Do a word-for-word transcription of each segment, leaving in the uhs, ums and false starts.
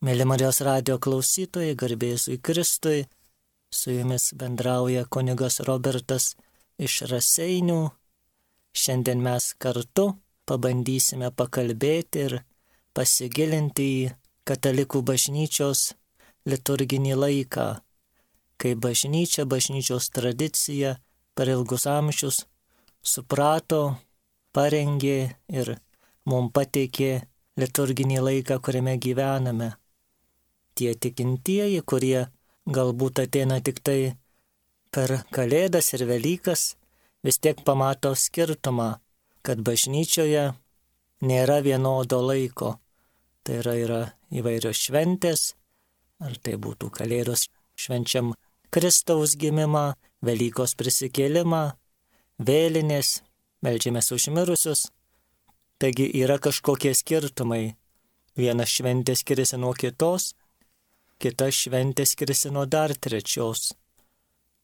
Mėly Marijos radijo klausytojai, garbė Jėzui Kristui, su jumis bendrauja kunigas Robertas iš Raseinių. Šiandien mes kartu pabandysime pakalbėti ir pasigilinti į katalikų bažnyčios liturginį laiką, kai bažnyčia, bažnyčios tradicija per ilgus amžius suprato, parengė ir mums pateikė liturginį laiką, kuriame gyvename. Tie tikintieji, kurie galbūt ateina tik tai per Kalėdas ir Velykas, vis tiek pamato skirtumą, kad bažnyčioje nėra vienodo laiko. Tai yra, yra įvairios šventės, ar tai būtų Kalėdos švenčiam Kristaus gimimą, Velykos prisikėlimą, vėlinės, meldžiamės už mirusius. Taigi yra kažkokie skirtumai. Viena šventė skiriasi nuo kitos, kita šventė skiriasi nuo dar trečios.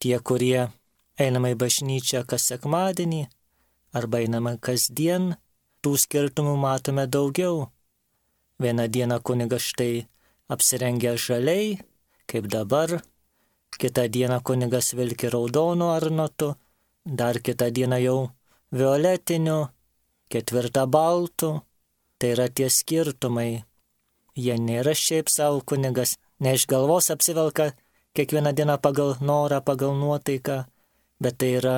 Tie, kurie einame į bažnyčią kas sekmadienį arba einame kasdien, tų skirtumų matome daugiau. Vieną dieną kunigas štai apsirengia žaliai, kaip dabar, kitą dieną kunigas vilki raudonu arnotu, dar kitą dieną jau violetiniu, ketvirtą baltų. Tai yra tie skirtumai. Jie nėra šiaip savo kunigas, ne iš galvos apsivelka kiekvieną dieną pagal norą, pagal nuotaiką, bet tai yra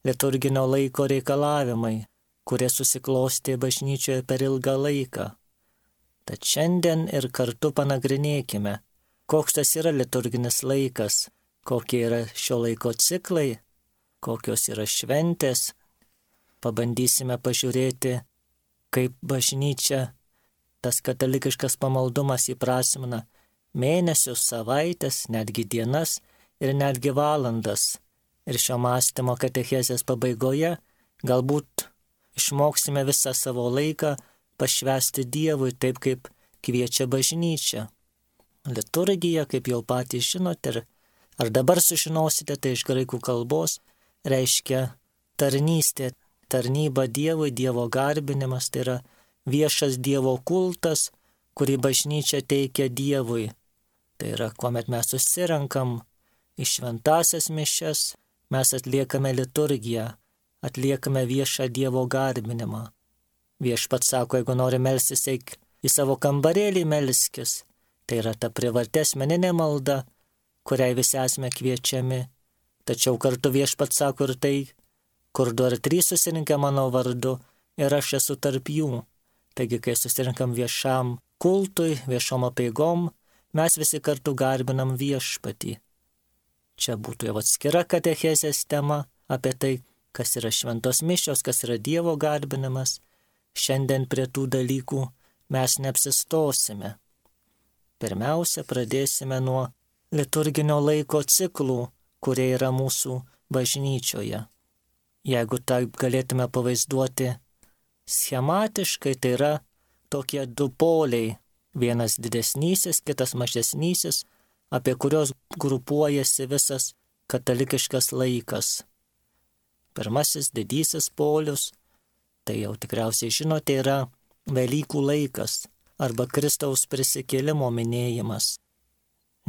liturginio laiko reikalavimai, kurie susiklostė bažnyčioje per ilgą laiką. Tad šiandien ir kartu panagrinėkime, koks tas yra liturginis laikas, kokie yra šio laiko ciklai, kokios yra šventės. Pabandysime pažiūrėti, kaip bažnyčia, tas katalikiškas pamaldumas įprasmina mėnesius, savaitės, netgi dienas ir netgi valandas. Ir šio mąstymo katechezės pabaigoje galbūt išmoksime visą savo laiką pašvęsti Dievui taip, kaip kviečia bažnyčia. Liturgija, kaip jau patys žinote, ir ar dabar sužinosite, tai iš graikų kalbos reiškia tarnystė, tarnyba Dievui, Dievo garbinimas, tai yra viešas Dievo kultas, kurį bažnyčia teikia Dievui. Tai yra, kuomet mes susirenkam į šventasias mišias, mes atliekame liturgiją, atliekame viešą Dievo garbinimą. Viešpats sako, jeigu nori melstis, eik į savo kambarėlį melskis. Tai yra ta privati asmeninė malda, kuriai visi esame kviečiami. Tačiau kartu viešpats sako ir tai, kur du ar trys susirinkę mano vardu, ir aš esu tarp jų. Taigi, kai susirinkam viešam kultui, viešom apeigom, mes visi kartu garbinam viešpatį. Čia būtų jau atskira katechezės tema apie tai, kas yra šventos mišios, kas yra Dievo garbinimas. Šiandien prie tų dalykų mes neapsistosime. Pirmiausia, pradėsime nuo liturginio laiko ciklų, kurie yra mūsų bažnyčioje. Jeigu taip galėtume pavaizduoti schematiškai, tai yra tokie du poliai, vienas didesnysis, kitas mažesnysis, apie kurios grupuojasi visas katalikiškas laikas. Pirmasis didysis polius, tai jau tikriausiai žinote, yra Velykų laikas arba Kristaus prisikėlimo minėjimas.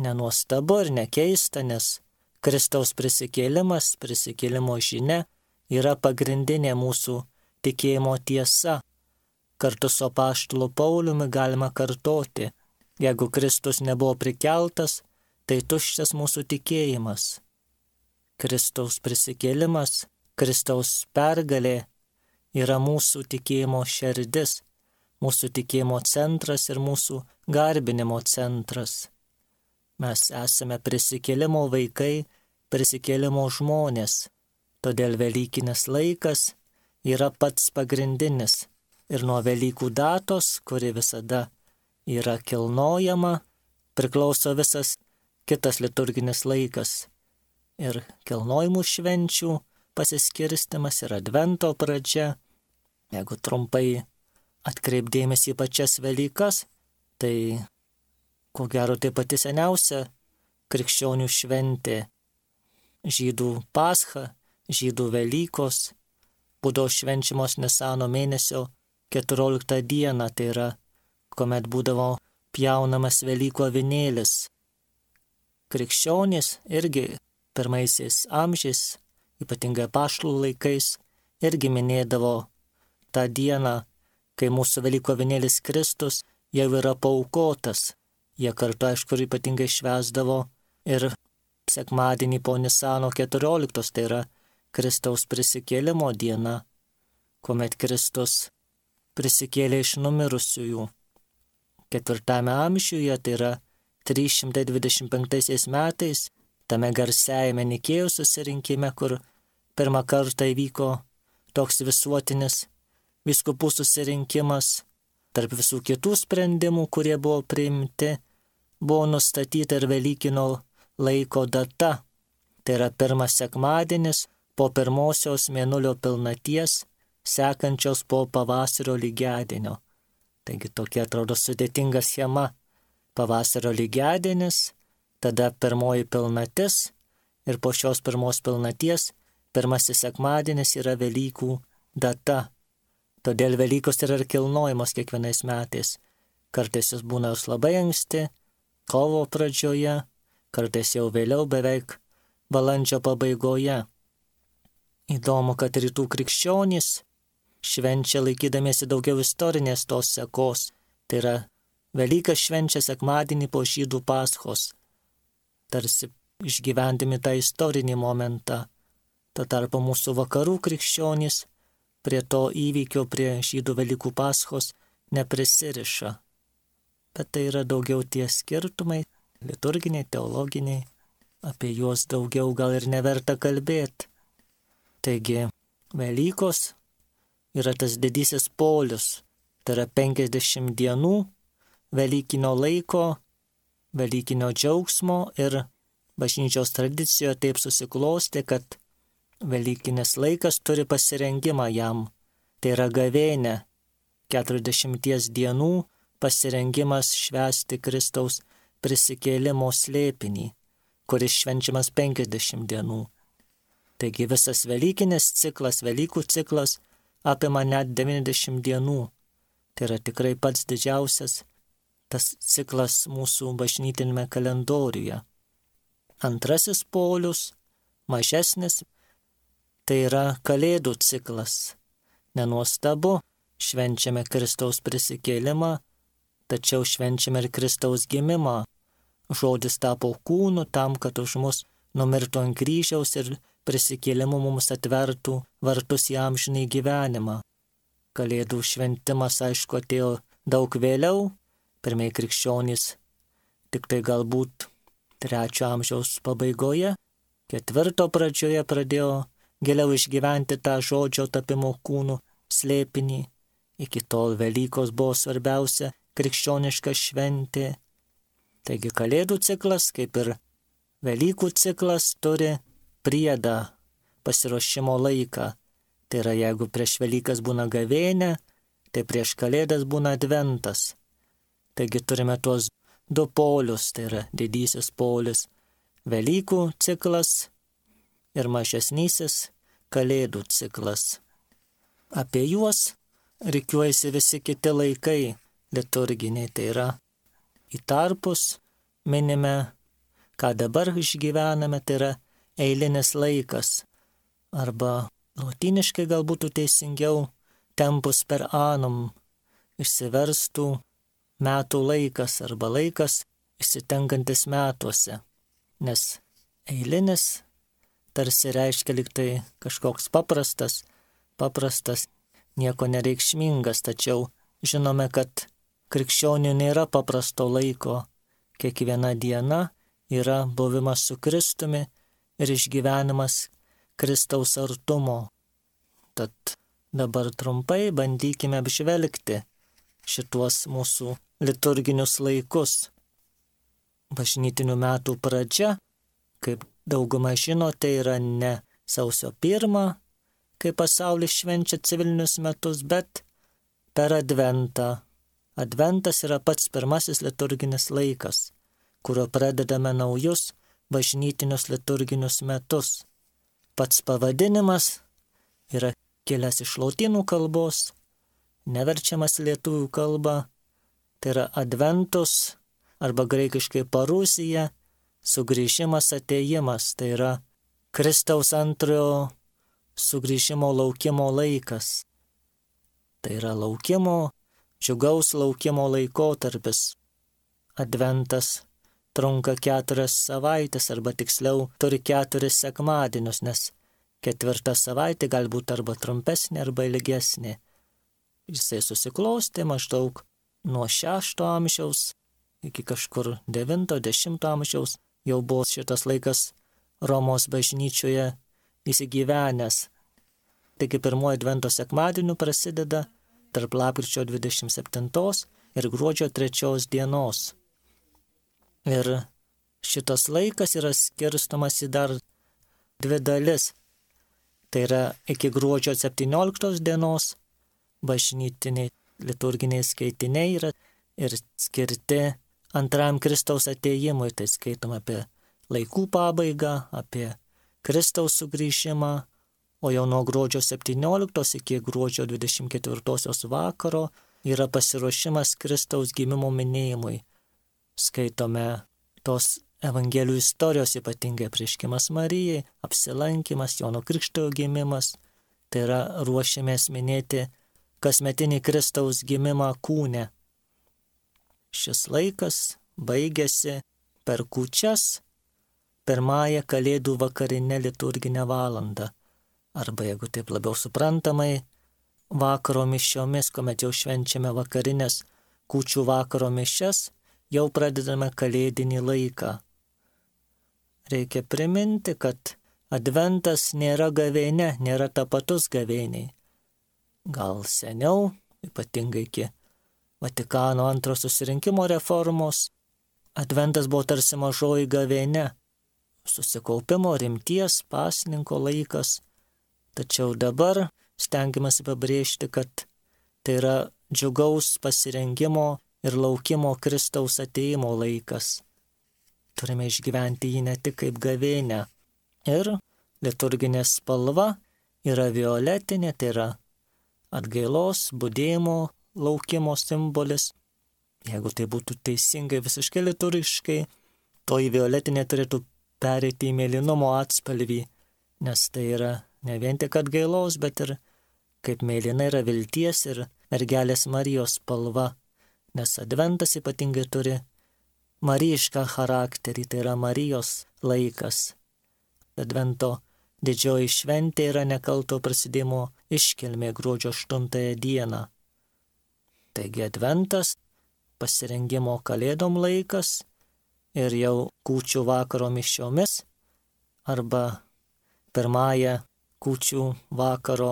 Nenuostabu ir nekeista, nes Kristaus prisikėlimas, prisikėlimo žinia yra pagrindinė mūsų tikėjimo tiesa. Kartu su apaštulu Pauliumi galima kartoti, jeigu Kristus nebuvo prikeltas, tai tuščias mūsų tikėjimas. Kristaus prisikėlimas, Kristaus pergalė yra mūsų tikėjimo šerdis, mūsų tikėjimo centras ir mūsų garbinimo centras. Mes esame prisikėlimo vaikai, prisikėlimo žmonės, todėl Velykinis laikas yra pats pagrindinis. Ir nuo Velykų datos, kuri visada yra kilnojama, priklauso visas kitas liturginis laikas. Ir kilnojimų švenčių pasiskirstimas ir Advento pradžia. Jeigu trumpai atkreipdėmės į pačias Velykas, tai ko gero tai pati seniausia krikščionių šventė. Žydų Pascha, žydų Velykos būdavo švenčiamos Nisano mėnesio keturioliktą dieną, tai yra, kuomet būdavo pjaunamas Velykų avinėlis. Krikščionys irgi pirmaisiais amžiais, ypatingai apaštalų laikais, irgi minėdavo tą dieną, kai mūsų Velykų avinėlis Kristus jau yra paaukotas. Jie kartu, aišku, ypatingai švęsdavo ir sekmadienį po Nisano keturioliktos, tai yra Kristaus prisikėlimo diena, kuomet Kristus prisikėlė iš numirusiųjų. Ketvirtame amžiuje, tai yra trys šimtai dvidešimt penktaisiais metais, tame garsiajame Nikėjos susirinkime, kur pirmą kartą įvyko toks visuotinis vyskupų susirinkimas, tarp visų kitų sprendimų, kurie buvo priimti, buvo nustatyta ir Velykinio laiko data. Tai yra pirmas sekmadienis po pirmosios mėnulio pilnaties, sekančios po pavasario lygiadienio. Taigi tokia atrodo sudėtinga schema. Pavasario lygiadienis, tada pirmoji pilnatis ir po šios pirmos pilnaties pirmasis sekmadienis yra Velykų data. Todėl Velykos yra ir kilnojamos kiekvienais metais. Kartais jos būna jos labai anksti, kovo pradžioje, kartais jau vėliau beveik balandžio pabaigoje. Įdomu, kad rytų krikščionys švenčia laikydamiesi daugiau istorinės tos sekos. Tai yra Velykas švenčia sekmadienį po žydų paschos, tarsi išgyvendami tą istorinį momentą. Tuo tarpu mūsų vakarų krikščionys prie to įvykio, prie žydų Velykų paschos neprisiriša. Bet tai yra daugiau tie skirtumai, liturginiai, teologiniai, apie juos daugiau gal ir neverta kalbėti. Taigi, Velykos yra tas didysis polius, tai yra penkiasdešimt dienų Velykinio laiko, Velykinio džiaugsmo ir bažnyčios tradicijoje taip susiklostė, kad Velykinis laikas turi pasirengimą jam. Tai yra gavėnė, keturiasdešimties dienų pasirengimas švęsti Kristaus prisikėlimo slėpinį, kuris švenčiamas penkiasdešimt dienų. Taigi visas Velykinis ciklas, Velykų ciklas apima net devyniasdešimt dienų. Tai yra tikrai pats didžiausias tas ciklas mūsų bažnytinėme kalendoriuje. Antrasis polius, mažesnis, tai yra Kalėdų ciklas. Nenuostabu, švenčiame Kristaus prisikėlimą, tačiau švenčiame ir Kristaus gimimą. Žodis tapo kūnu tam, kad už mus numirtų ant kryžiaus ir prisikėlimu mums atvertų vartus į amžinį gyvenimą. Kalėdų šventimas, aišku, atėjo daug vėliau, pirmieji krikščionys tik tai galbūt trečio amžiaus pabaigoje, ketvirto pradžioje pradėjo giliau išgyventi tą žodžio tapimo kūnų slėpinį. Iki tol Velykos buvo svarbiausia krikščioniška šventė. Taigi Kalėdų ciklas, kaip ir Velykų ciklas, turi priedą, pasiruošimo laiką. Tai yra, jeigu prieš Velykas būna gavėnė, tai prieš Kalėdas būna adventas. Taigi turime tuos du polius, tai yra didysis polius Velykų ciklas ir mažesnysis Kalėdų ciklas. Apie juos rikiuojasi visi kiti laikai liturginiai, tai yra į tarpus minime, ką dabar išgyvename, tai yra eilinis laikas, arba lotyniškai gal būtų teisingiau tempus per annum, išsiverstų metų laikas arba laikas išsitenkantis metuose, nes eilinis tarsi reiškia lyg tai kažkoks paprastas, paprastas, nieko nereikšmingas, tačiau žinome, kad krikščionių nėra paprasto laiko, kiekviena diena yra buvimas su Kristumi ir išgyvenimas Kristaus artumo. Tad dabar trumpai bandykime apžvelgti šituos mūsų liturginius laikus. Bažnytinių metų pradžia, kaip dauguma žino, tai yra ne sausio pirmą, kai pasaulis švenčia civilinius metus, bet per Adventą. Adventas yra pats pirmasis liturginis laikas, kurio pradedame naujus bažnytinius liturginius metus. Pats pavadinimas yra kilęs iš lotynų kalbos, neverčiamas lietuvių kalba, tai yra adventus, arba graikiškai parusija, sugrįžimas, atėjimas, tai yra Kristaus antrojo sugrįžimo laukimo laikas. Tai yra laukimo, džiugaus laukimo laikotarpis. Adventas trunka keturias savaitės, arba tiksliau turi keturis sekmadienius, nes ketvirta savaitė galbūt arba trumpesnė, arba ilgesnė. Jisai susiklostė maždaug nuo šešto amžiaus iki kažkur devinto, dešimto amžiaus. Jau buvo šitas laikas Romos bažnyčioje įsigyvenęs. Taigi pirmoji advento sekmadienį prasideda tarp lapkričio dvidešimt septintos ir gruodžio trečios dienos. Ir šitas laikas yra skirstomas į dar dvi dalis. Tai yra iki gruodžio septynioliktos dienos bažnytiniai liturginiai skaitiniai yra ir skirti antram Kristaus atėjimui. Tai skaitom apie laikų pabaigą, apie Kristaus sugrįžimą, o jau nuo gruodžio septynioliktos iki gruodžio dvidešimt ketvirtosios vakaro yra pasiruošimas Kristaus gimimo minėjimui. Skaitome tos Evangelijų istorijos, ypatingai apreiškimas Marijai, apsilankimas, Jono Krikštytojo gimimas. Tai yra ruošiamės minėti kasmetinį Kristaus gimimą kūne. Šis laikas baigėsi per kūčias, pirmąją Kalėdų vakarinę liturginę valandą. Arba, jeigu taip labiau suprantamai, vakaro mišiomis, kuomet jau švenčiame vakarinės kūčių vakaro mišias, jau pradedame kalėdinį laiką. Reikia priminti, kad adventas nėra gavėnia, nėra tapatus gavėniai. Gal seniau, ypatingai iki Vatikano antro susirinkimo reformos, adventas buvo tarsi mažoji gavėnia, susikaupimo, rimties, pasninko laikas. Tačiau dabar stengiamasi pabrėžti, kad tai yra džiugaus pasirengimo ir laukimo Kristaus atėjimo laikas. Turime išgyventi jį ne tik kaip gavėnią. Ir liturginė spalva yra violetinė, tai yra atgailos, budėjimo, laukimo simbolis. Jeigu tai būtų teisingai visiškai liturgiškai, toji violetinė turėtų pereiti į mėlynumo atspalvį, nes tai yra ne vien tik atgailos, bet ir kaip mėlyna yra vilties ir mergelės Marijos spalva, nes adventas ypatingai turi marijišką charakterį, tai yra Marijos laikas. Advento didžioji šventė yra nekalto prasidėjimo iškilmė gruodžio aštuntąją dieną. Taigi adventas, pasirengimo kalėdom laikas ir jau kūčių vakaro mišiomis arba pirmąją kūčių vakaro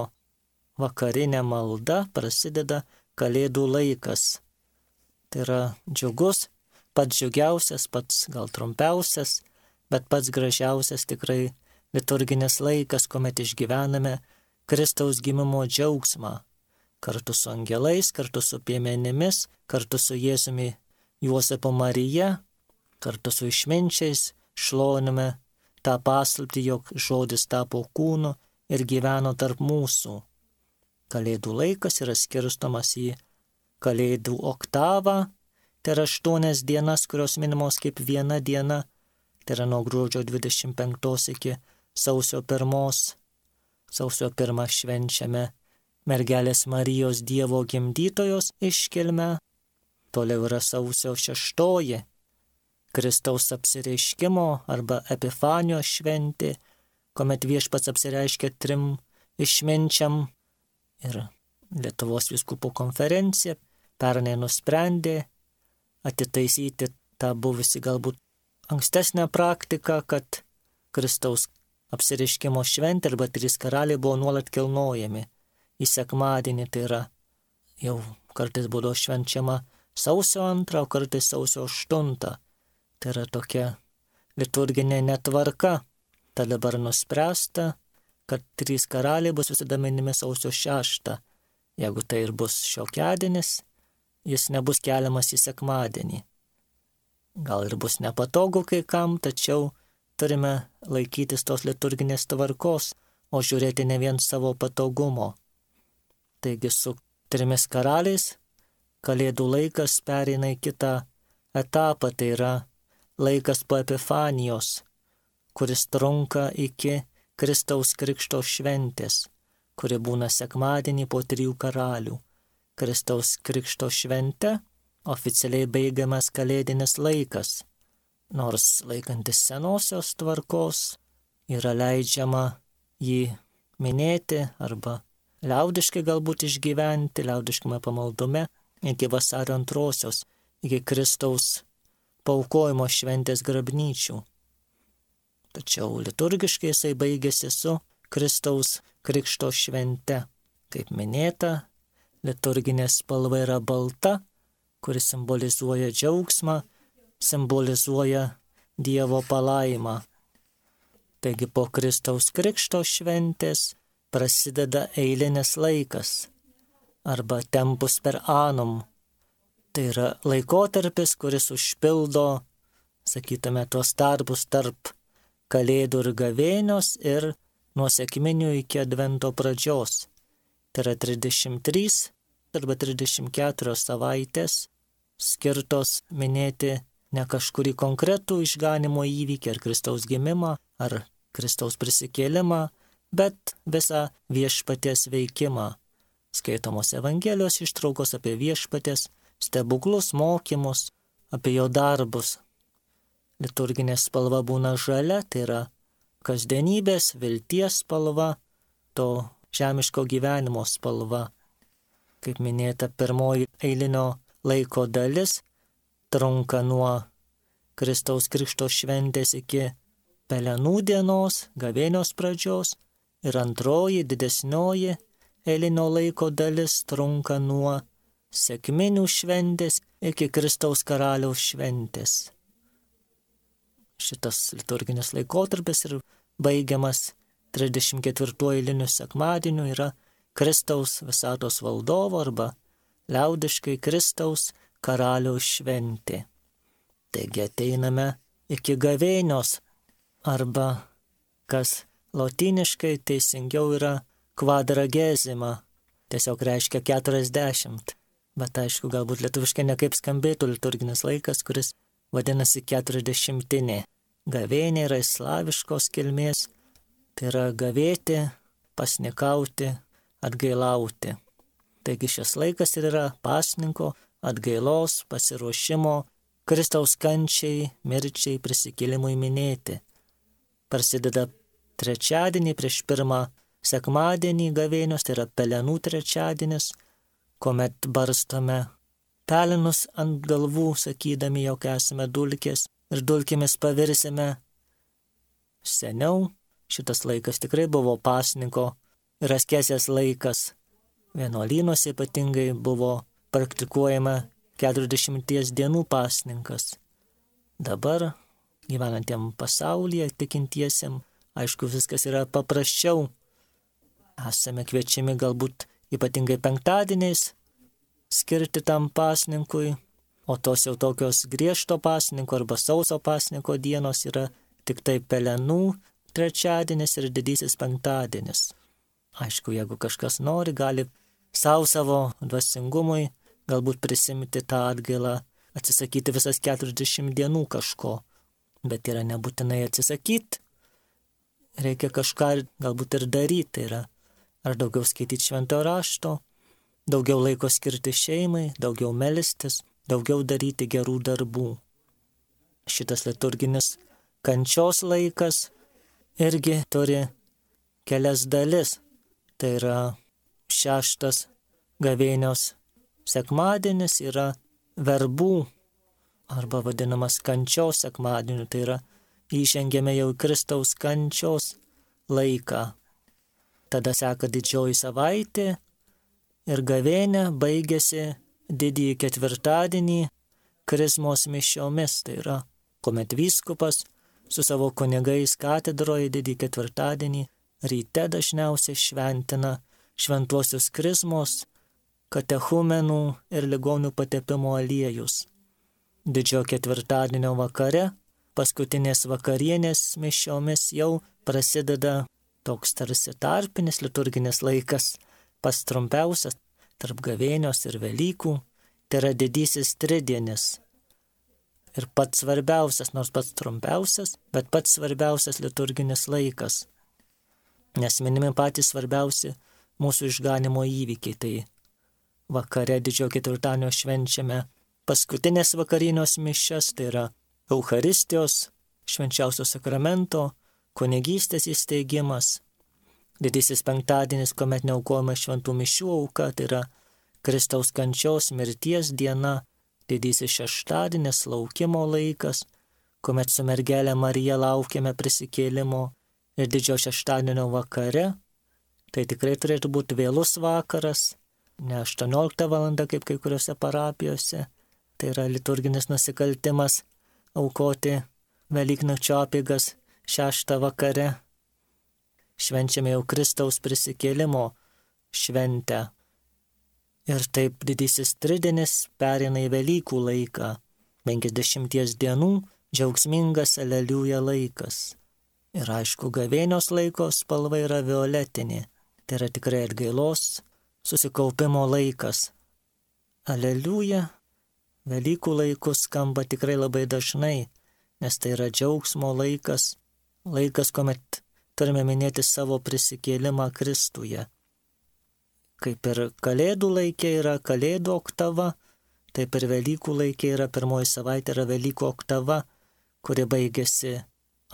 vakarinė malda prasideda kalėdų laikas. Tai yra džiugus, pats džiugiausias, pats gal trumpiausias, bet pats gražiausias tikrai liturginis laikas, kuomet išgyvename Kristaus gimimo džiaugsmą. Kartu su angelais, kartu su piemenimis, kartu su Jėzumi Juozapu Marija, kartu su išminčiais šloviname tą paslaptį, jog žodis tapo kūnu ir gyveno tarp mūsų. Kalėdų laikas yra skirstomas į Kalėdų oktavą, tai yra aštuonias dienas, kurios minimos kaip viena diena, tai yra nuo gruodžio dvidešimt penktos iki sausio pirmos. Sausio pirmą švenčiame mergelės Marijos Dievo gimdytojos iškilmę, toliau yra sausio šeštoji, Kristaus apsireiškimo arba Epifanijos šventė, kuomet viešpats apsireiškia trim išminčiam, ir Lietuvos vyskupų konferencija pernai nusprendė atitaisyti tą buvusi galbūt ankstesnę praktiką, kad Kristaus apsireiškimo šventė arba trys karaliai buvo nuolat kilnojami į sekmadienį, tai yra jau kartais būdavo švenčiama sausio antrą, o kartais sausio aštuntą. Tai yra tokia liturginė netvarka. Tai dabar nuspręsta, kad trys karaliai bus visada minimi sausio šeštą. Jeigu tai ir bus šiokiadienis, jis nebus keliamas į sekmadienį. Gal ir bus nepatogu kai kam, tačiau turime laikytis tos liturginės tvarkos, o žiūrėti ne vien savo patogumo. Taigi su trimis karaliais Kalėdų laikas pereina į kitą etapą, tai yra laikas po Epifanijos, kuris trunka iki Kristaus Krikšto šventės, kuri būna sekmadienį po trijų karalių. Kristaus Krikšto švente oficialiai baigiamas kalėdinis laikas, nors laikantis senosios tvarkos yra leidžiama jį minėti arba liaudiškai galbūt išgyventi, liaudiškame pamaldume iki vasario antrosios, iki Kristaus paaukojimo šventės grabnyčių. Tačiau liturgiškai jisai baigėsi su Kristaus Krikšto švente. Kaip minėta, liturginė spalva yra balta, kuris simbolizuoja džiaugsmą, simbolizuoja Dievo palaimą. Taigi po Kristaus Krikšto šventės prasideda eilinis laikas arba tempus per annum. Tai yra laikotarpis, kuris užpildo, sakytume, tuos tarpus tarp Kalėdų ir Gavėnios ir nuo sekminių iki Advento pradžios. Tai yra trisdešimt trys arba trisdešimt keturios savaitės skirtos minėti ne kažkurį konkretų išganimo įvykį ar Kristaus gimimą ar Kristaus prisikėlimą, bet visą viešpaties veikimą. Skaitomos Evangelijos ištraukos apie viešpaties stebuklus, mokymus, apie jo darbus. Liturginė spalva būna žalia, tai yra kasdienybės, vilties spalva, to žemiško gyvenimo spalva. Kaip minėta, pirmoji eilinio laiko dalis trunka nuo Kristaus Krikšto šventės iki Pelenų dienos, Gavėnios pradžios, ir antroji didesnioji eilinio laiko dalis trunka nuo sekminių šventės iki Kristaus karaliaus šventės. Šitas liturginis laikotarpis ir baigiamas trisdešimt ketvirtuoju eiliniu sekmadieniu yra Kristaus visatos valdovo arba liaudiškai Kristaus karaliaus šventė. Taigi ateiname iki Gavėnios arba, kas lotyniškai teisingiau yra quadragesima, tiesiog reiškia keturiasdešimt, bet aišku, galbūt lietuviškai nekaip skambėtų liturginis laikas, kuris vadinasi keturiasdešimtinė. Gavėnė yra slaviškos kilmės, tai yra gavėti, pasnikauti, atgailauti. Taigi šis laikas ir yra pasninko, atgailos, pasiruošimo, Kristaus kančiai, mirčiai, prisikėlimui minėti. Prasideda trečiadienį prieš pirmą sekmadienį Gavėnios, tai yra Pelenų trečiadienis, kuomet barstome pelenus ant galvų, sakydami, jog esame dulkės ir dulkėmis pavirsime. Seniau šitas laikas tikrai buvo pasninko ir askezės laikas. Vienuolynuose ypatingai buvo praktikuojama keturiasdešimties dienų pasninkas. Dabar gyvenantiem pasaulyje tikintiesiem, aišku, viskas yra paprasčiau. Esame kviečiami galbūt ypatingai penktadieniais skirti tam pasninkui, o tos jau tokios griežto pasninko arba sauso pasninko dienos yra tik tai Pelenų trečiadienis ir didysis penktadienis. Aišku, jeigu kažkas nori, gali savo savo dvasingumui galbūt prisimti tą atgailą, atsisakyti visas keturiasdešimt dienų kažko, bet yra nebūtinai atsisakyti. Reikia kažką galbūt ir daryti, tai yra ar daugiau skaityti šventojo rašto, daugiau laiko skirti šeimai, daugiau melstis, daugiau daryti gerų darbų. Šitas liturginis kančios laikas irgi turi kelias dalis. Tai yra šeštas Gavėnios sekmadienis yra verbų arba vadinamas kančios sekmadieniu, tai yra įžengėme jau Kristaus kančios laiką. Tada seka didžioji savaitė ir Gavėnia baigėsi didįjį ketvirtadienį krizmos mišiomis, tai yra kuomet vyskupas su savo kunigais katedroje didįjį ketvirtadienį ryte dažniausiai šventina šventuosius krizmos, katechumenų ir ligonių patepimo aliejus. Didžiojo ketvirtadienio vakare, paskutinės vakarienės mišiomis jau prasideda toks tarsi tarpinis liturginis laikas, pats trumpiausias tarp Gavėnios ir Velykų, Tai yra didysis tridienis. Ir pats svarbiausias, nors pats trumpiausias, bet pats svarbiausias liturginis laikas. Nes minimi patys svarbiausi mūsų išganimo įvykiai. Tai vakare didžiojo ketvirtadienio švenčiame paskutinės vakarinios mišias, tai yra Eucharistijos, švenčiausio sakramento, kunigystės įsteigimas. Didysis penktadienis, kuomet neaukojama šventų mišių auka, tai yra Kristaus kančios mirties diena. Didysis šeštadienis, laukimo laikas, kuomet su mergelė Marija laukiame prisikėlimo. Ir didžiojo šeštadienio vakare, tai tikrai turėtų būti vėlus vakaras, ne aštuoniolikta valanda kaip kai kuriuose parapijose. Tai yra liturginis nusikaltimas aukoti Velyknakčio apeigas šeštą vakare. Švenčiame jau Kristaus prisikėlimo šventę. Ir taip didysis tridienis pereina į Velykų laiką, penkiasdešimties dienų džiaugsmingas aleliuja laikas. Ir aišku, gavėnios laiko spalva yra violetinė, tai yra tikrai atgailos, susikaupimo laikas. Aleliuja Velykų laikus skamba tikrai labai dažnai, nes tai yra džiaugsmo laikas, laikas, kuomet turime minėti savo prisikėlimą Kristuje. Kaip ir Kalėdų laikė yra Kalėdų oktava, taip ir Velykų laikė yra pirmoji savaitė yra Velykų oktava, kuri baigėsi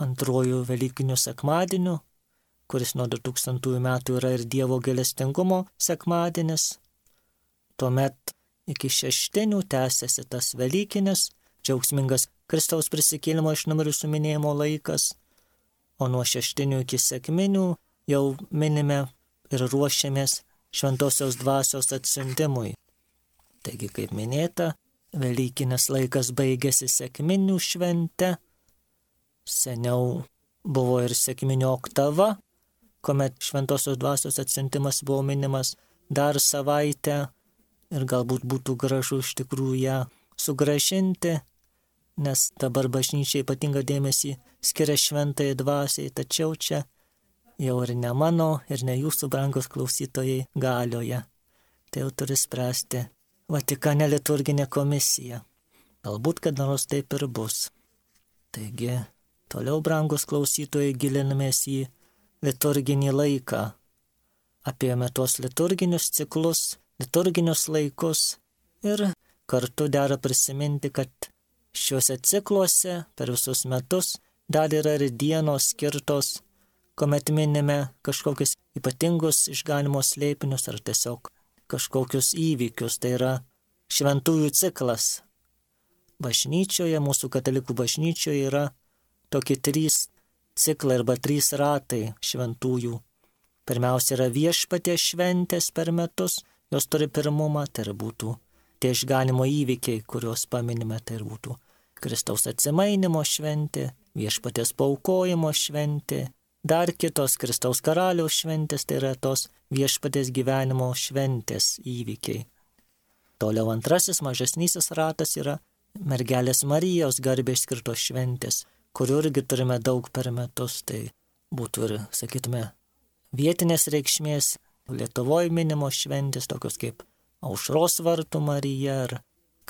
antrojų Velykinių sekmadienių, kuris nuo du tūkstantųjų metų yra ir Dievo gailestingumo sekmadienis. Tuomet iki šeštinių tęsiasi tas Velykinis, džiaugsmingas Kristaus prisikėlimo iš numirusių minėjimo laikas, o nuo šeštinių iki sekminių jau minime ir ruošiamės šventosios dvasios atsiuntimui. Taigi, kaip minėta, Velykinis laikas baigėsi sekminių švente. Seniau buvo ir sekminių oktava, kuomet šventosios dvasios atsiuntimas buvo minimas dar savaitę ir galbūt būtų gražu iš tikrųjų ją sugrąžinti, nes dabar bažnyčia ypatingą dėmesį skiria šventai dvasiai, tačiau čia jau ir ne mano, ir ne jūsų, brangus klausytojai, galioje. Tai jau turi spręsti Vatikane liturginė komisija. Galbūt kada nors taip ir bus. Taigi, toliau, brangus klausytojai, gilinamės į liturginį laiką. Apėjome tuos liturginius ciklus, liturginius laikus ir kartu dera prisiminti, kad šiuose cikluose per visus metus dar yra ir dienos skirtos, kuomet minime kažkokius ypatingus išganimo slėpinius ar tiesiog kažkokius įvykius, tai yra šventųjų ciklas. Bažnyčioje, mūsų katalikų bažnyčioje yra tokie trys ciklai arba trys ratai šventųjų. Pirmiausia yra viešpaties šventės per metus, jos turi pirmumą, tai ir būtų tie išganimo įvykiai, kuriuos paminime, tai ir būtų Kristaus atsimainimo šventė, viešpaties paaukojimo šventė, dar kitos Kristaus karaliaus šventės, tai yra tos viešpaties gyvenimo šventės įvykiai. Toliau antrasis mažesnysis ratas yra mergelės Marijos garbei skirtos šventės, kurių irgi turime daug per metus, tai būtų ir, sakytume, vietinės reikšmės, Lietuvoje minimos šventės, tokios kaip Aušros vartų Marija ar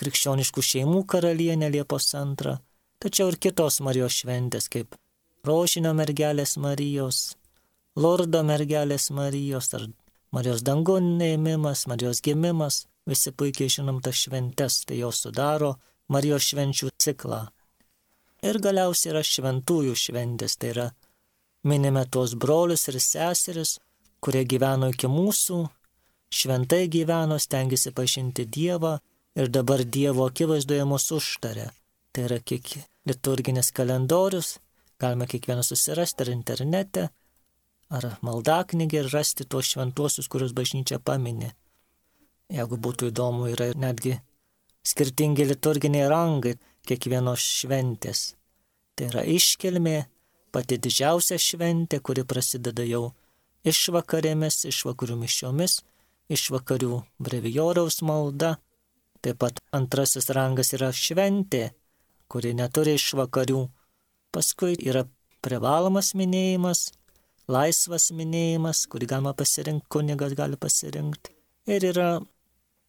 krikščioniškų šeimų karalienė Liepos antrą, tačiau ir kitos Marijos šventės, kaip Rožinio mergelės Marijos, Lurdo mergelės Marijos ar Marijos dangun ėmimas, Marijos gimimas, visi puikiai žinom tas šventes, tai jos sudaro Marijos švenčių ciklą. Ir galiausiai yra šventųjų šventės, tai yra minime tuos brolius ir seseris, kurie gyveno iki mūsų, šventai gyveno, stengiasi pažinti Dievą ir dabar Dievo akivaizdoje mus užtarė. Tai yra kiek liturginis kalendorius, galime kiekvieną susirasti ar internete, ar maldaknygę ir rasti tuos šventuosius, kuriuos bažnyčia paminė. Jeigu būtų įdomu, yra netgi skirtingi liturginiai rangai kiekvienos šventės. Tai yra iškilmė, pati didžiausia šventė, kuri prasideda jau išvakarėmis, išvakarių mišiomis, išvakarių brevioriaus malda. Taip pat antrasis rangas yra šventė, kuri neturi išvakarių. Paskui yra privalomas minėjimas, laisvas minėjimas, kurį galima pasirinkti, kunigas gali pasirinkti. Ir yra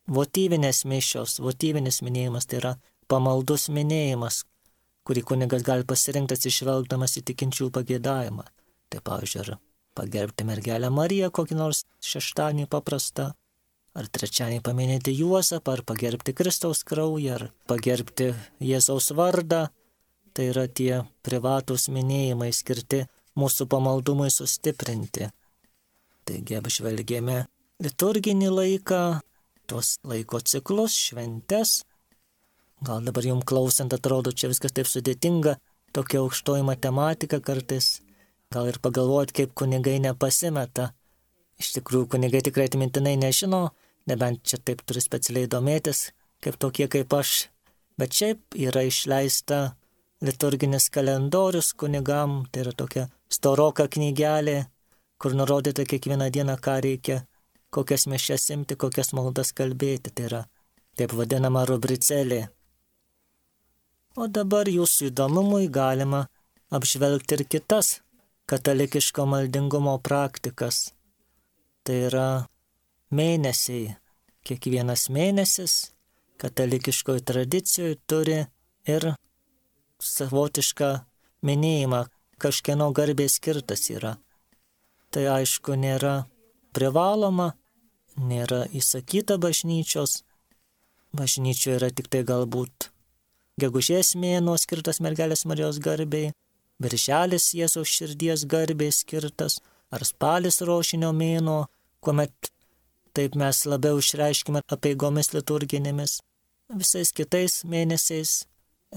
votyvinės mišios, votyvinis minėjimas, tai yra pamaldus minėjimas, kurį kunigas gali pasirinkti atsižvelgdamas į tikinčių pageidavimą. Tai pavyzdžiui, ar pagerbti mergelę Mariją kokį nors šeštadienį paprastą, ar trečiadienį paminėti Juozapą, ar pagerbti Kristaus kraują, ar pagerbti Jėzaus vardą. Tai yra tie privatūs minėjimai skirti mūsų pamaldumui sustiprinti. Taigi apžvelgėme liturginį laiką, tuos laiko ciklus, šventes. Gal dabar jums klausant atrodo, čia viskas taip sudėtinga, tokia aukštoji matematika kartais. Gal ir pagalvojat, kaip kunigai nepasimeta. Iš tikrųjų, kunigai tikrai atmintinai nežino, nebent čia taip turi specialiai domėtis, kaip tokie kaip aš. Bet šiaip yra išleista liturginis kalendorius kunigam, tai yra tokia storoka knygelė, kur nurodyta kiekvieną dieną, ką reikia, kokias mišias imti, kokias maldas kalbėti. Tai yra taip vadinama rubricelė. O dabar jūsų įdomumui galima apžvelgti ir kitas katalikiško maldingumo praktikas. Tai yra mėnesiai. Kiekvienas mėnesis katalikiškoje tradicijoje turi ir savotišką minėjimą, kažkieno garbė skirtas yra. Tai aišku nėra privaloma, nėra įsakyta bažnyčios. Bažnyčioje yra tik tai galbūt gegužės mėnuo skirtas mergelės Marijos garbei, birželis Jėzaus širdies garbei skirtas, ar spalis rožinio mėnuo, kuomet taip mes labiau išreiškime apeigomis liturginėmis. Visais kitais mėnesiais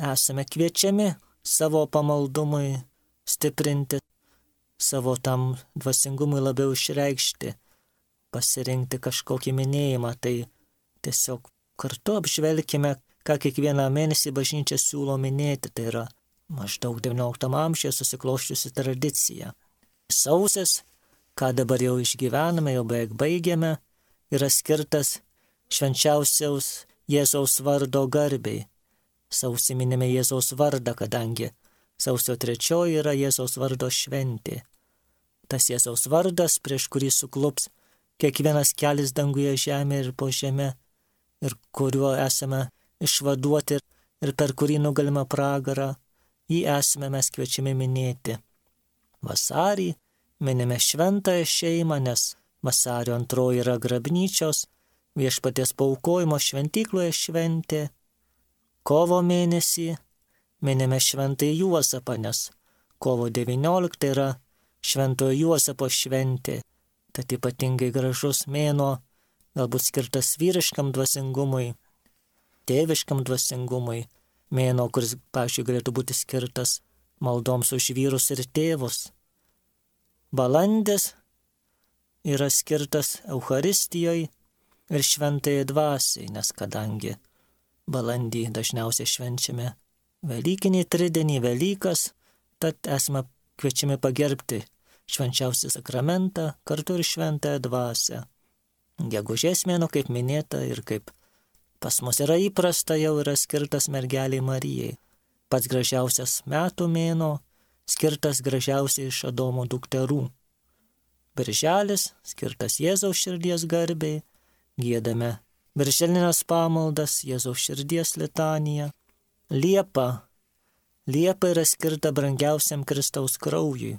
esame kviečiami savo pamaldumui stiprinti, savo tam dvasingumui labiau išreikšti, pasirinkti kažkokį minėjimą. Tai tiesiog kartu apžvelkime, ką kiekvieną mėnesį bažnyčia siūlo minėti. Tai yra maždaug devynioliktam amžiuje susikloščiusi tradicija. Sausis, ką dabar jau išgyvename, jau beveik baigėme, yra skirtas švenčiausiaus Jėzaus vardo garbei. Sausį minime Jėzaus vardą, kadangi sausio trečioji yra Jėzaus vardo šventė. Tas Jėzaus vardas, prieš kurį suklups kiekvienas kelis danguje, žemė ir po žemė, ir kuriuo esame išvaduoti ir per kurį nugalime pragarą, jį esame mes kviečiami minėti. Vasarį minime šventąją šeimą, nes vasario antroji yra grabnyčios, viešpaties paaukojimo šventykloje šventė. Kovo mėnesį minime šventąjį Juozapą, nes kovo devynioliktą yra šventojo Juozapo šventė. Tad ypatingai gražus mėnuo, galbūt skirtas vyriškam dvasingumui, tėviškam dvasingumui, mėnuo, kuris, pavyzdžiui, galėtų būti skirtas maldoms už vyrus ir tėvus. Balandis yra skirtas Eucharistijoje ir šventajai dvasiai, nes kadangi balandį dažniausiai švenčiame Velykinį tridienį, Velykas, tad esame kviečiami pagerbti švenčiausią sakramentą, kartu ir šventąją dvasią. Gegužės mėnuo, kaip minėta ir kaip pas mus yra įprasta, jau yra skirtas mergeliai Marijai. Pats gražiausias metų mėnuo, skirtas gražiausiai iš Adomo dukterų. Birželis, skirtas Jėzaus širdies garbei, giedame birželinės pamaldas, Jėzaus širdies litaniją. Liepa. Liepa yra skirta brangiausiam Kristaus kraujui.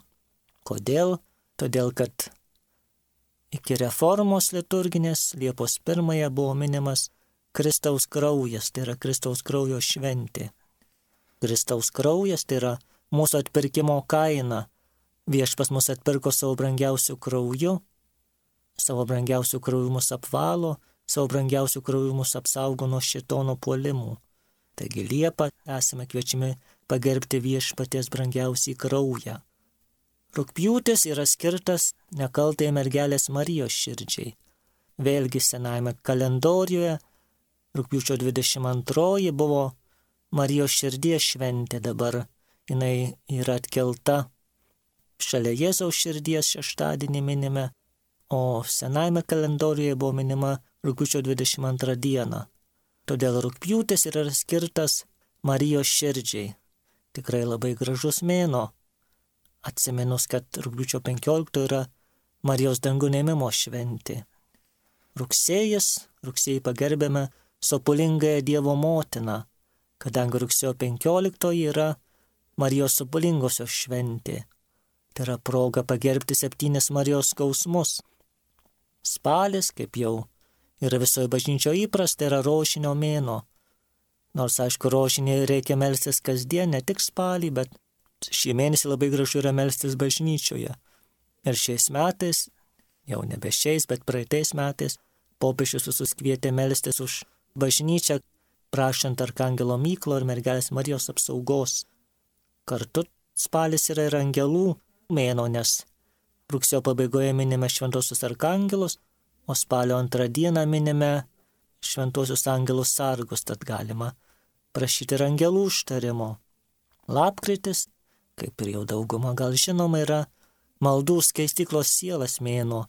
Kodėl? Todėl, kad iki reformos liturginės Liepos pirmąją buvo minimas Kristaus kraujas, tai yra Kristaus kraujo šventė. Kristaus kraujas tai yra mūsų atpirkimo kaina. Viešpas mus atpirko savo brangiausių krauju, savo brangiausių krauju mus apvalo, savo brangiausių krauju mus apsaugo nuo šėtono puolimų. Taigi Liepą esame kviečiami pagerbti viešpaties brangiausiai kraują. Rugpjūtis yra skirtas nekaltai mergelės Marijos širdžiai. Vėlgi senajame kalendoriuje rugpjūčio dvidešimt antroji buvo Marijos širdies šventė, dabar jinai yra atkelta šalia Jėzaus širdies šeštadienį minime, o senajame kalendoriuje buvo minima rugpjūčio dvidešimt antrą dieną. Todėl rugpjūtis yra skirtas Marijos širdžiai. Tikrai labai gražus mėnuo. Atsiminus, kad rugpjūčio penkioliktoji yra Marijos dangų ėmimo šventė. Rugsėjis, rugsėjį pagerbėme sopulingąją Dievo motiną, kadangi rugsėjo penkioliktoji yra Marijos sopulingosios šventė. Tai yra proga pagerbti septynis Marijos skausmus. Spalis, kaip jau yra visoje bažnyčioje įprasta, yra rožinio mėnuo. Nors, aišku, rožinį reikia melstis kasdien, ne tik spalį, bet šį mėnesį labai gražu yra melstis bažnyčioje. Ir šiais metais, jau nebe šiais, bet praeitais metais, popiežius visus kvietė melstis už bažnyčią, prašant Arkangelo Mykolo ir mergelės Marijos apsaugos. Kartu spalis yra ir angelų mėnuo, nes rugsėjo pabaigoje minime šventosius arkangelus, o spalio antrą dieną minime šventosius angelus sargus, tad galima prašyti ir angelų užtarimo. Lapkritis, kaip ir jau dauguma gal žinoma, yra maldų skaistyklos sielas mėnuo,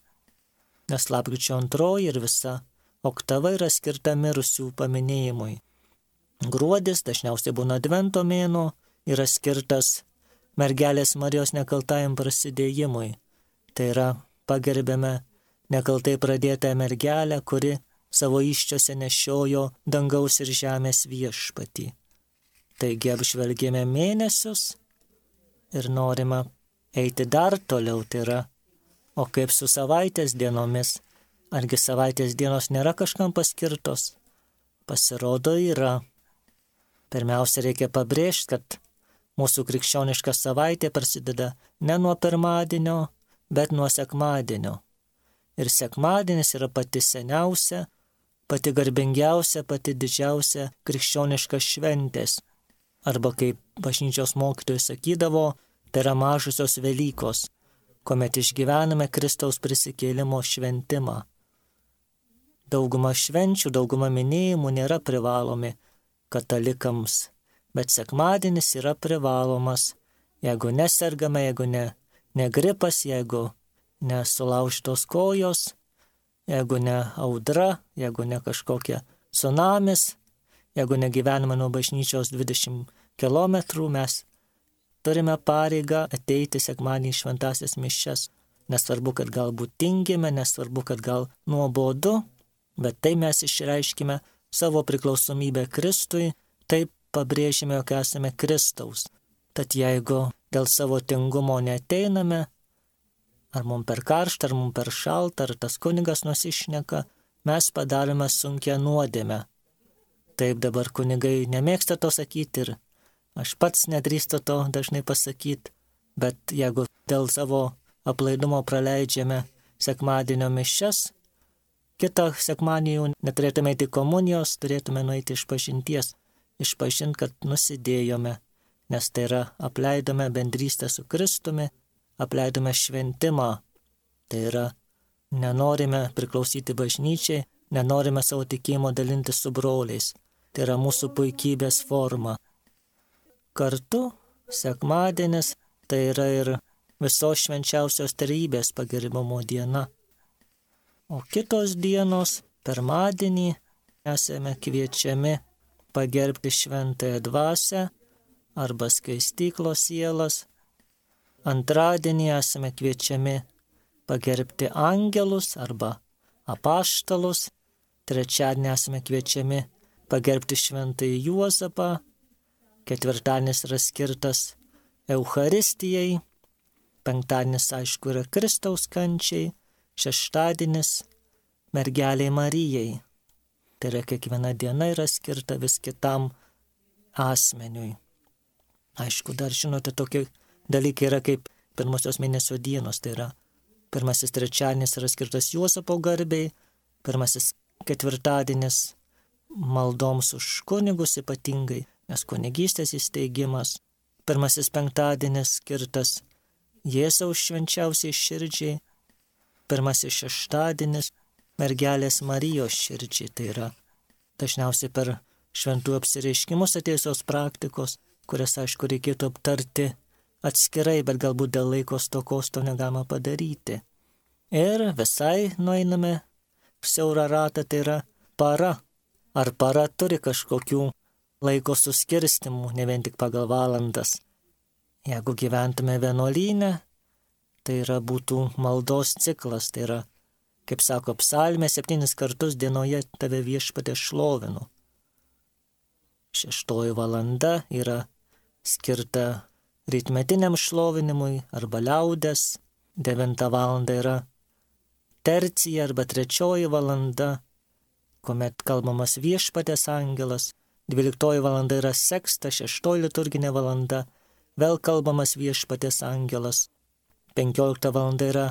nes lapkričio antroji ir visa oktava yra skirta mirusių paminėjimui. Gruodis, dažniausiai būna advento mėnuo, yra skirtas mergelės Marijos nekaltajam prasidėjimui. Tai yra pagerbėme nekaltai pradėtą mergelę, kuri savo įsčiose nešiojo dangaus ir žemės viešpatį. Taigi apžvelgėme mėnesius ir norime eiti dar toliau, tai yra, o kaip su savaitės dienomis, argi savaitės dienos nėra kažkam paskirtos? Pasirodo yra. Pirmiausia, reikia pabrėžti, kad mūsų krikščioniška savaitė prasideda ne nuo pirmadienio, bet nuo sekmadienio. Ir sekmadienis yra pati seniausia, pati garbingiausia, pati didžiausia krikščioniška šventės. Arba kaip bažnyčios mokytojai sakydavo, tai yra mažosios Velykos, kuomet išgyvename Kristaus prisikėlimo šventimą. Dauguma švenčių, dauguma minėjimų nėra privalomi katalikams, bet sekmadienis yra privalomas, jeigu nesergame, jeigu ne, ne gripas, jeigu nesulaužtos kojos, jeigu ne audra, jeigu ne kažkokia tsunamis, jeigu negyvename nuo bažnyčios dvidešimt kilometrų, mes turime pareigą ateiti sekmadienį į šventąsias mišias. Nesvarbu, kad galbūt tingime, nesvarbu, kad gal nuobodu, bet tai mes išreiškime savo priklausomybę Kristui, taip pabrėžime, jog esame Kristaus. Tad jeigu dėl savo tingumo neteiname, ar mums per karštą, ar mums per šaltą, ar tas kunigas nusišneka, mes padarome sunkią nuodėmę. Taip dabar kunigai nemėgsta to sakyti ir aš pats nedrįstu to dažnai pasakyti, bet jeigu dėl savo aplaidumo praleidžiame sekmadienio mišias, kitą sekmadienį jau neturėtume eiti komunijos, turėtume nueiti iš pažinties, išpažinti, kad nusidėjome, nes tai yra apleidome bendrystę su Kristumi, apleidome šventimą, tai yra nenorime priklausyti bažnyčiai, nenorime savo tikėjimo dalinti su broliais, tai yra mūsų puikybės forma. Kartu sekmadienis tai yra ir visos švenčiausios trejybės pagerbimo diena. O kitos dienos, pirmadienį, esame kviečiami pagerbti šventąją dvasią arba skaistyklos sielas. Antradienį esame kviečiami pagerbti angelus arba apaštalus. Trečiadienį esame kviečiami pagerbti šventąjį Juozapą. Ketvirtadienis yra skirtas Eucharistijai. Penktadienis, aišku, yra Kristaus kančiai. Šeštadienis mergeliai Marijai. Tai yra kiekviena diena yra skirta vis kitam asmeniui. Aišku, dar žinote, tokie dalykai yra kaip pirmosios mėnesio dienos. Tai yra pirmasis trečiadienis yra skirtas Juozapo garbei, pirmasis ketvirtadienis maldoms už kunigus ypatingai, nes kunigystės įsteigimas. Pirmasis penktadienis skirtas Jėzaus švenčiausiai širdžiai. Pirmasis šeštadienis mergelės Marijos širdžiai, tai yra dažniausiai per šventų apsireiškimus atėjusios praktikos, kurias, aišku, reikėtų aptarti atskirai, bet galbūt dėl laiko stokos to negalima padaryti. Ir visai nueiname siaurą ratą, tai yra para. Ar para turi kažkokių laiko suskirstimų, ne vien tik pagal valandas. Jeigu gyventume vienuolyne, tai yra būtų maldos ciklas, tai yra Kaip sako psalmė, septynis kartus dienoje tave viešpatie šlovinu. Šeštoji valanda yra skirta rytmetiniam šlovinimui arba liaudes. Devinta valanda yra tercija arba trečioji valanda, kuomet kalbamas viešpatės angelas. Dvyliktoji valanda yra seksta, šeštoji liturginė valanda, vėl kalbamas viešpatės angelas. Penkiolikta valanda yra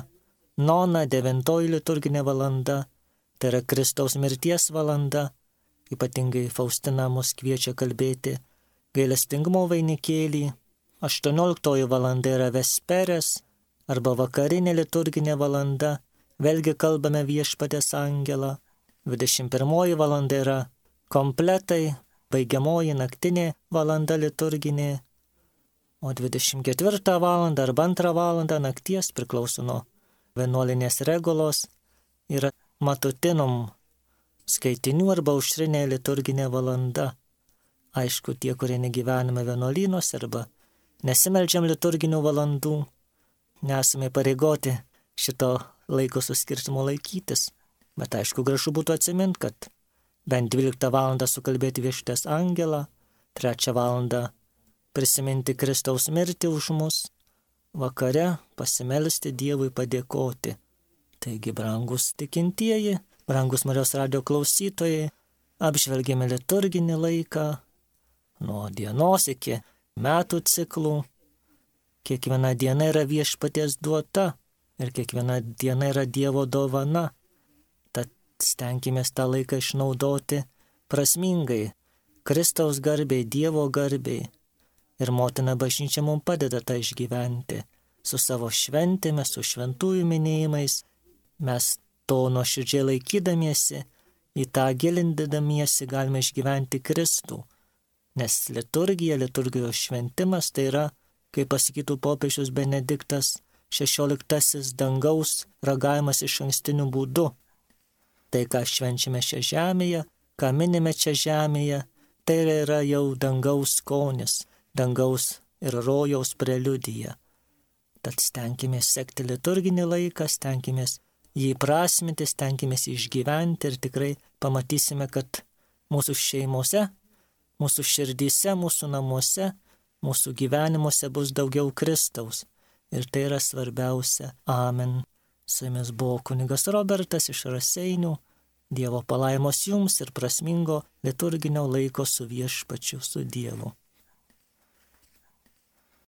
nona, devintoji liturginė valanda, tai yra Kristaus mirties valanda. Ypatingai Faustina mus kviečia kalbėti gailestingumo vainikėlį. Aštuonioliktoji valanda yra vesperės arba vakarinė liturginė valanda, vėlgi kalbame viešpatės angelą. Dvidešimt pirmoji valanda yra kompletai, baigiamoji naktinė valanda liturginė, o dvidešimt ketvirtą valandą arba antrą valandą nakties priklauso nuo vienuolinės regulos yra matutinum skaitinių arba aušrinė liturginė valanda. Aišku, tie, kurie negyvename vienuolynuose arba nesimeldžiam liturginių valandų, nesame pareigoti šito laiko suskirtimo laikytis. Bet aišku, gražu būtų atsiminti, kad bent dvyliktą valandą sukalbėti viešpaties angelą, trečią valandą prisiminti Kristaus mirtį už mus, vakare pasimelsti Dievui padėkoti. Taigi, brangus tikintieji, brangus Marijos radijo klausytojai, apžvelgėme liturginį laiką nuo dienos iki metų ciklų. Kiekviena diena yra viešpaties duota ir kiekviena diena yra Dievo dovana. Tad stenkimės tą laiką išnaudoti prasmingai, Kristaus garbei, Dievo garbei. Ir motina bažnyčia mums padeda tą išgyventi su savo šventėmis, su šventųjų minėjimais. Mes to nuoširdžiai laikydamiesi, į tą gilindamiesi galime išgyventi Kristų. Nes liturgija, liturgijos šventimas tai yra, kaip pasakytų popiežius Benediktas šešioliktasis, dangaus ragavimas iš ankstiniu būdu. Tai, ką švenčiame šią žemėje, ką minime čia žemėje, tai yra jau dangaus skonis, dangaus ir rojaus preliudija. Tad stenkimės sekti liturginį laiką, stenkimės jį prasminti, stenkimės išgyventi ir tikrai pamatysime, kad mūsų šeimose, mūsų širdyse, mūsų namuose, mūsų gyvenimuose bus daugiau Kristaus. Ir tai yra svarbiausia. Amen. Su jumis buvo kunigas Robertas iš Raseinių. Dievo palaimos jums ir prasmingo liturginio laiko su viešpačiu, su Dievu.